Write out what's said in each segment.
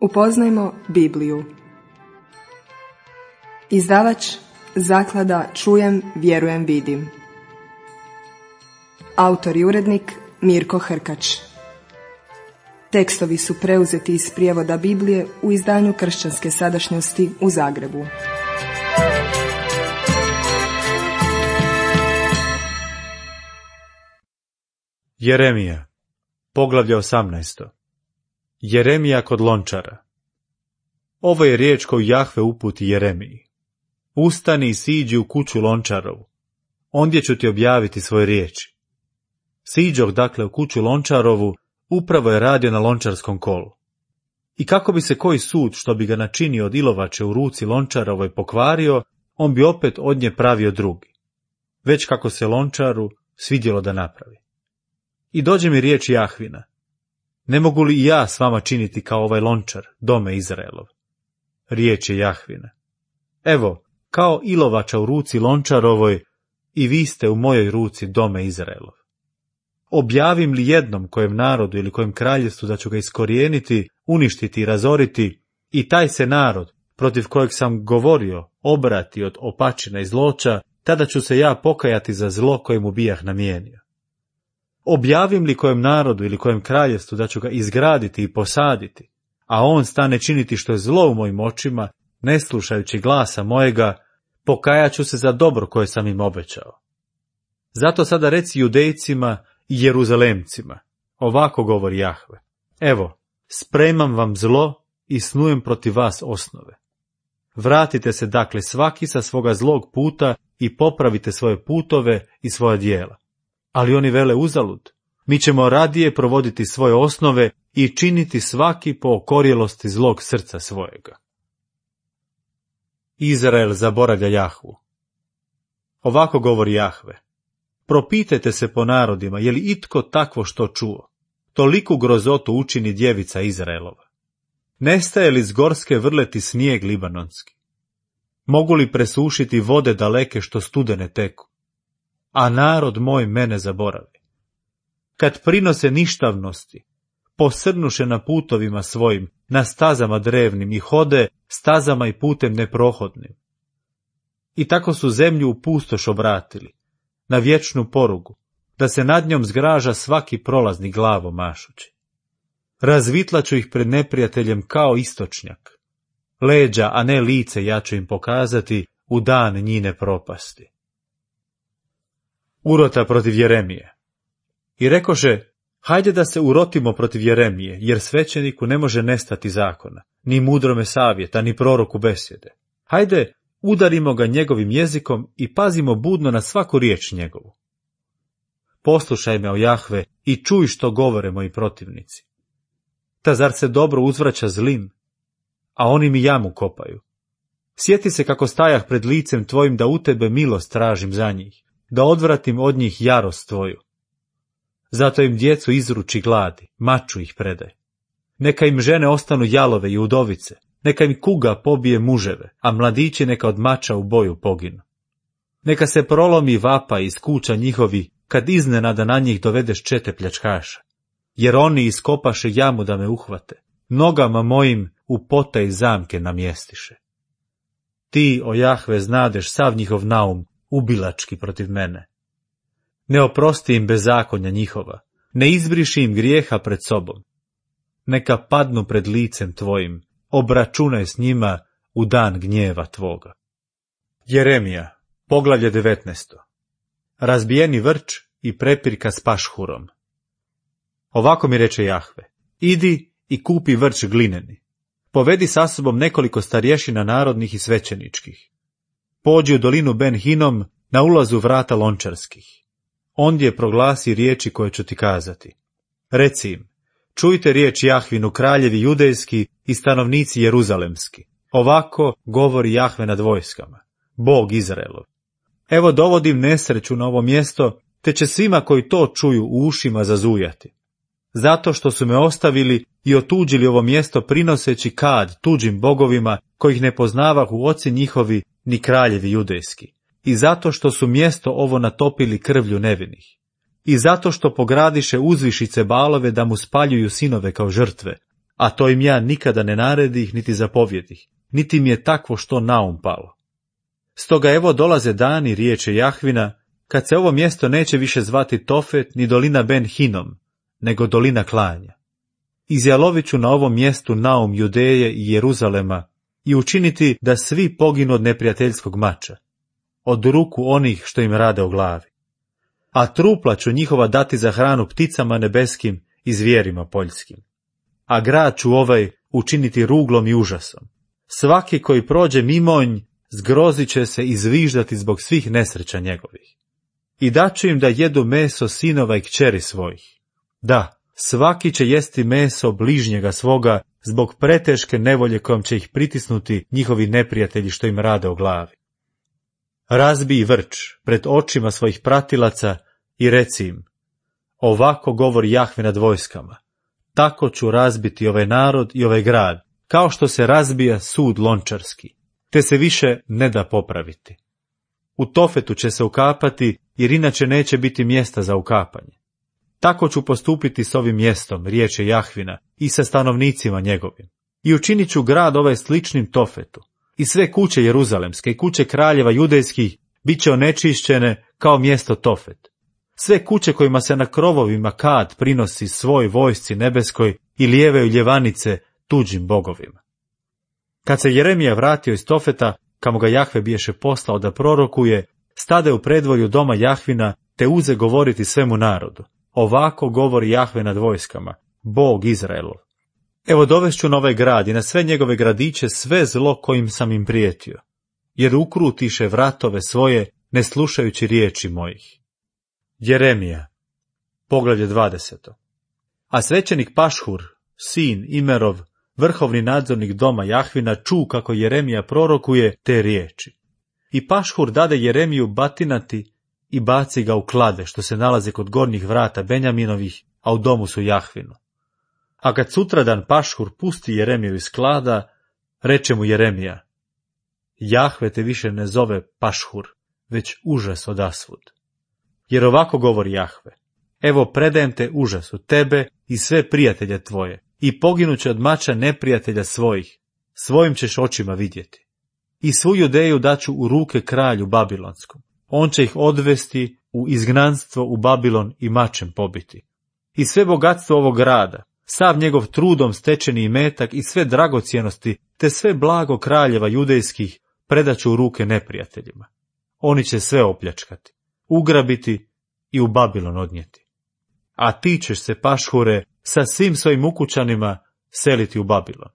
Upoznajmo Bibliju. Izdavač Zaklada Čujem, vjerujem, vidim. Autor i urednik Mirko Hrkač. Tekstovi su preuzeti iz prijevoda Biblije u izdanju Kršćanske sadašnjosti u Zagrebu. Jeremija, poglavlje 18. Jeremija kod lončara. Ovo je riječ koju Jahve uputi Jeremiji. Ustani i siđi u kuću lončarovu. Ondje ću ti objaviti svoje riječi. Siđoh dakle u kuću lončarovu, upravo je radio na lončarskom kolu. I kako bi se koji sud što bi ga načinio od ilovače u ruci lončarovoj pokvario, on bi opet od nje pravio drugi. Već kako se lončaru svidjelo da napravi. I dođe mi riječ Jahvina. Ne mogu li i ja s vama činiti kao ovaj lončar, dome Izraelov? Riječ je Jahvina. Evo, kao ilovača u ruci lončarovoj, i vi ste u mojoj ruci, dome Izraelov. Objavim li jednom kojem narodu ili kojem kraljevstvu da ću ga iskorijeniti, uništiti i razoriti, i taj se narod, protiv kojeg sam govorio, obrati od opačina i zloća, tada ću se ja pokajati za zlo koje mu bijah namijenio. Objavim li kojem narodu ili kojem kraljevstvu da ću ga izgraditi i posaditi, a on stane činiti što je zlo u mojim očima, ne slušajući glasa mojega, pokajat ću se za dobro koje sam im obećao. Zato sada reci Judejcima i Jeruzalemcima, ovako govori Jahve. Evo, spremam vam zlo i snujem protiv vas osnove. Vratite se dakle svaki sa svoga zlog puta i popravite svoje putove i svoja djela. Ali oni vele uzalud. Mi ćemo radije provoditi svoje osnove i činiti svaki po okorjelosti zlog srca svojega. Izrael zaboravlja Jahvu. Ovako govori Jahve. Propitajte se po narodima, je li itko takvo što čuo? Toliku grozotu učini djevica Izraelova. Nestaje li s gorske vrleti snijeg libanonski? Mogu li presušiti vode daleke što studene teku? A narod moj mene zaboravi. Kad prinose ništavnosti, posrnuše na putovima svojim, na stazama drevnim i hode stazama i putem neprohodnim. I tako su zemlju u pustoš obratili, na vječnu porugu, da se nad njom zgraža svaki prolazni glavo mašući. Razvitlaću ih pred neprijateljem kao istočnjak. Leđa, a ne lice ja ću im pokazati u dan njine propasti. Urota protiv Jeremije. I rekoše, hajde da se urotimo protiv Jeremije, jer svećeniku ne može nestati zakona, ni mudrome savjeta, ni proroku besjede. Hajde, udarimo ga njegovim jezikom i pazimo budno na svaku riječ njegovu. Poslušaj me, o Jahve, i čuj što govore moji protivnici. Ta zar se dobro uzvraća zlim, a oni mi jamu kopaju? Sjeti se kako stajah pred licem tvojim da u tebe milost tražim za njih, da odvratim od njih jarost tvoju. Zato im djecu izruči gladi, maču ih predaj. Neka im žene ostanu jalove i udovice, neka im kuga pobije muževe, a mladići neka od mača u boju poginu. Neka se prolomi vapa iz kuća njihovi, kad iznenada na njih dovedeš čete pljačkaša. Jer oni iskopaše jamu da me uhvate, nogama mojim u potaj zamke namjestiše. Ti, o Jahve, znadeš sav njihov naum, ubilački protiv mene. Ne oprosti im bezakonja njihova, ne izbriši im grijeha pred sobom. Neka padnu pred licem tvojim, obračunaj s njima u dan gnjeva tvoga. Jeremija, poglavlje 19. Razbijeni vrč i prepirka s pašhurom. Ovako mi reče Jahve, idi i kupi vrč glineni. Povedi sa sobom nekoliko starješina narodnih i svećeničkih. Pođi u dolinu Ben Hinom na ulazu vrata lončarskih. Ondje proglasi riječi koje ću ti kazati. Reci im, čujte riječ Jahvinu, kraljevi judejski i stanovnici jeruzalemski. Ovako govori Jahve nad vojskama, Bog Izraelov. Evo dovodim nesreću na ovo mjesto, te će svima koji to čuju u ušima zazujati. Zato što su me ostavili i otuđili ovo mjesto prinoseći kad tuđim bogovima, kojih ne poznavahu oci njihovi ni kraljevi judejski. I zato što su mjesto ovo natopili krvlju nevinih. I zato što pogradiše uzvišice balove da mu spaljuju sinove kao žrtve, a to im ja nikada ne naredih niti zapovjedih, niti mi je takvo što naum palo. Stoga evo dolaze dani, riječe Jahvina, kad se ovo mjesto neće više zvati Tofet ni dolina Ben Hinom, nego dolina klanja. Izjalovit ću na ovom mjestu naum Judeje i Jeruzalema i učiniti da svi poginu od neprijateljskog mača, od ruku onih što im rade o glavi. A trupla ću njihova dati za hranu pticama nebeskim i zvijerima poljskim. A grad ću ovaj učiniti ruglom i užasom. Svaki koji prođe mimonj zgrozit će se i zviždati zbog svih nesreća njegovih. I daću im da jedu meso sinova i kćeri svojih. Da, svaki će jesti meso bližnjega svoga zbog preteške nevolje kojom će ih pritisnuti njihovi neprijatelji što im rade o glavi. Razbij vrč pred očima svojih pratilaca i reci im, ovako govori Jahve nad vojskama, tako ću razbiti ovaj narod i ovaj grad, kao što se razbija sud lončarski, te se više ne da popraviti. U Tofetu će se ukapati, jer inače neće biti mjesta za ukapanje. Tako ću postupiti s ovim mjestom, riječe Jahvina, i sa stanovnicima njegovim. I učinit ću grad ovaj sličnim Tofetu. I sve kuće jeruzalemske i kuće kraljeva judejskih bit će onečišćene kao mjesto Tofet. Sve kuće kojima se na krovovima kad prinosi svoj vojsci nebeskoj i lijevaju ljevanice tuđim bogovima. Kad se Jeremija vratio iz Tofeta, kamo ga Jahve biješe poslao da prorokuje, stade u predvorju doma Jahvina, te uze govoriti svemu narodu. Ovako govori Jahve nad vojskama, Bog Izraelov. Evo dovešću na ovaj grad i na sve njegove gradiće sve zlo kojim sam im prijetio, jer ukrutiše vratove svoje, ne slušajući riječi mojih. Jeremija, poglavlje 20. A svećenik Pašhur, sin Imerov, vrhovni nadzornik doma Jahvina, ču kako Jeremija prorokuje te riječi. I Pašhur dade Jeremiju batinati i baci ga u klade, što se nalaze kod gornjih vrata Benjaminovih, a u domu su Jahvinu. A kad sutradan Pašhur pusti Jeremiju iz klada, reče mu Jeremija, Jahve te više ne zove Pašhur, već užas odasvud. Jer ovako govori Jahve, evo predajem te užasu, tebe i sve prijatelje tvoje, i poginuće od mača neprijatelja svojih, svojim ćeš očima vidjeti. I svu Judeju daću u ruke kralju Babilonskom, on će ih odvesti u izgnanstvo u Babilon i mačem pobiti. I sve bogatstvo ovog grada, sav njegov trudom stečeni imetak i sve dragocjenosti, te sve blago kraljeva judejskih predaću u ruke neprijateljima. Oni će sve opljačkati, ugrabiti i u Babilon odnijeti. A ti ćeš se, Pašhure, sa svim svojim ukućanima seliti u Babilon.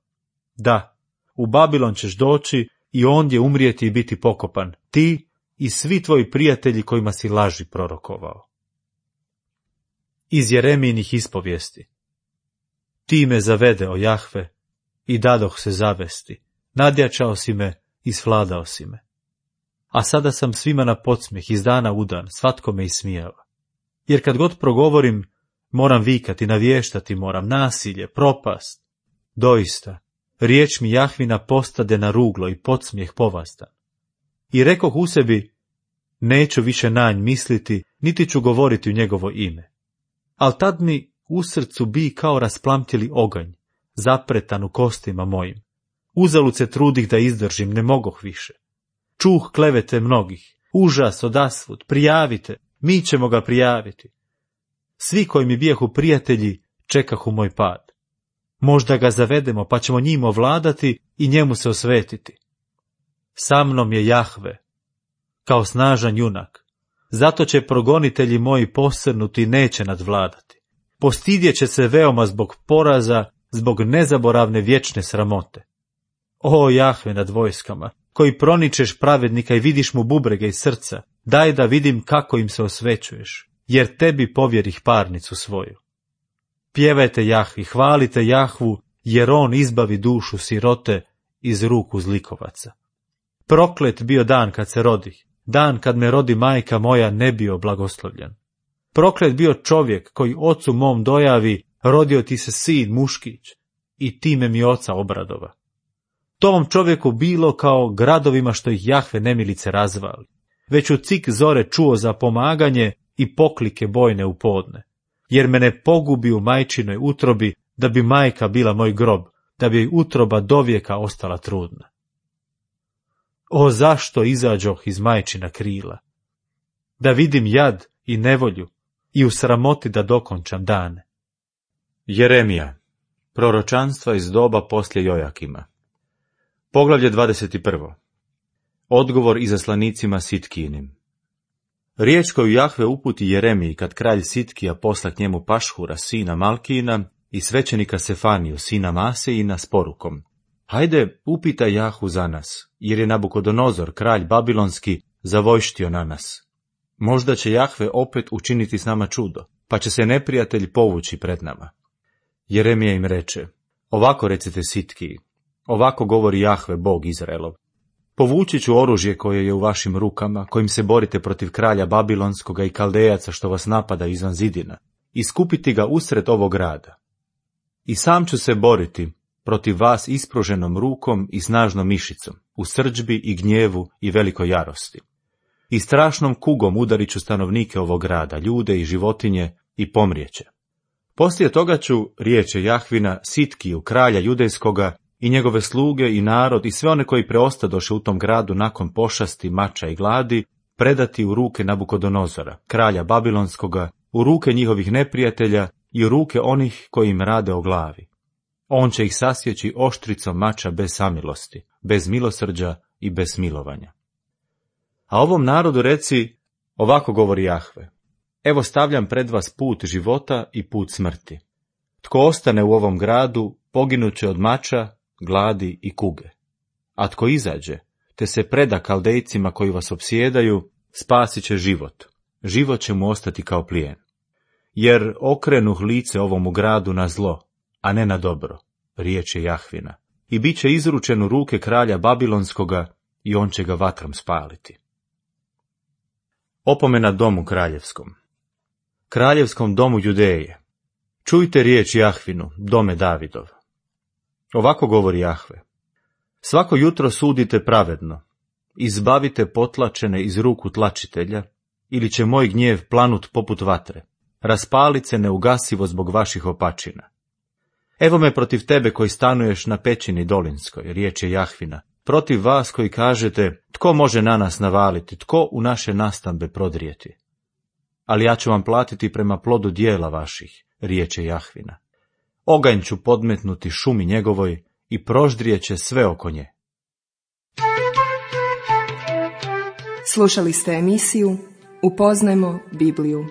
Da, u Babilon ćeš doći i ondje umrijeti i biti pokopan, ti i svi tvoji prijatelji kojima si laži prorokovao. Iz Jeremijinih ispovijesti. Ti me zavede, o Jahve, i dadoh se zavesti, nadjačao si me i svladao si me. A sada sam svima na podsmijeh iz dana u dan, svatko me ismijava. Jer kad god progovorim, moram vikati, navještati moram, nasilje, propast. Doista, riječ mi Jahvina postade na ruglo i podsmijeh povastan. I rekoh u sebi, neću više na nj misliti, niti ću govoriti u njegovo ime. Al tad mi u srcu bi kao rasplamtjeli oganj, zapretan u kostima mojim. Uzalud se trudih da izdržim, ne mogoh više. Čuh klevete mnogih, užas odasvud, prijavite, mi ćemo ga prijaviti. Svi koji mi bijahu prijatelji, čekahu moj pad. Možda ga zavedemo, pa ćemo njim ovladati i njemu se osvetiti. Sa mnom je Jahve, kao snažan junak. Zato će progonitelji moji posrnuti i neće nadvladati. Postidjet će se veoma zbog poraza, zbog nezaboravne vječne sramote. O Jahve nad vojskama, koji proničeš pravednika i vidiš mu bubrege iz srca, daj da vidim kako im se osvećuješ, jer tebi povjerih parnicu svoju. Pjevajte Jahvi, hvalite Jahvu, jer on izbavi dušu sirote iz ruku zlikovaca. Proklet bio dan kad se rodih, dan kad me rodi majka moja ne bio blagoslovljen. Proklet bio čovjek koji ocu mom dojavi, rodio ti se sin muškić, i time mi oca obradova. Tom čovjeku bilo kao gradovima što ih Jahve nemilice razvali. Već u cik zore čuo za pomaganje i poklike bojne u podne. Jer me ne pogubi u majčinoj utrobi, da bi majka bila moj grob, da bi utroba dovijeka ostala trudna. O, zašto izađoh iz majčina krila? Da vidim jad i nevolju i u sramoti da dokončam dane. Jeremija, proročanstva iz doba poslije Jojakima. Poglavlje 21. Odgovor izaslanicima Sitkijinim. Riječ koju Jahve uputi Jeremiji kad kralj Sitkija posla k njemu Pašhura, sina Malkijina, i svećenika Sefaniju, sina Masejina, s porukom: Hajde, upitaj Jahu za nas, jer je Nabukodonozor, kralj babilonski, zavojštio na nas. Možda će Jahve opet učiniti s nama čudo, pa će se neprijatelj povući pred nama. Jeremija im reče: Ovako recite Sitkiji, ovako govori Jahve, Bog Izraelov. Povući ću oružje koje je u vašim rukama, kojim se borite protiv kralja Babilonskoga i Kaldejaca što vas napada izvan zidina, i skupiti ga usred ovog grada. I sam ću se boriti protiv vas ispruženom rukom i snažnom mišicom, u srdžbi i gnjevu i velikoj jarosti. I strašnom kugom udarit ću stanovnike ovog grada, ljude i životinje, i pomrijeće. Poslije toga ću, riječe Jahvina, Sitkiju, kralja judejskoga, i njegove sluge i narod i sve one koji preostadoše u tom gradu nakon pošasti, mača i gladi, predati u ruke Nabukodonozora, kralja babilonskoga, u ruke njihovih neprijatelja i u ruke onih koji im rade o glavi. On će ih sasjeći oštricom mača bez samilosti, bez milosrđa i bez smilovanja. A ovom narodu reci, ovako govori Jahve: Evo stavljam pred vas put života i put smrti. Tko ostane u ovom gradu, poginuće od mača, gladi i kuge. A tko izađe, te se preda Kaldejcima koji vas opsjedaju, spasit će život. Život će mu ostati kao plijen. Jer okrenuh lice ovomu gradu na zlo, a ne na dobro, riječ je Jahvina, i bit će izručen u ruke kralja Babilonskoga i on će ga vatrom spaliti. Opomena domu kraljevskom. Kraljevskom domu Judeje. Čujte riječ Jahvinu, dome Davidov. Ovako govori Jahve: Svako jutro sudite pravedno, izbavite potlačene iz ruku tlačitelja, ili će moj gnjev planut poput vatre, raspalit se neugasivo zbog vaših opačina. Evo me protiv tebe koji stanuješ na pećini dolinskoj, riječ je Jahvina, protiv vas koji kažete: Tko može na nas navaliti, tko u naše nastambe prodrijeti? Ali ja ću vam platiti prema plodu dijela vaših, riječ je Jahvina. Oganj ću podmetnuti šumi njegovoj i proždrijeće sve oko nje. Slušali ste emisiju Upoznajmo Bibliju.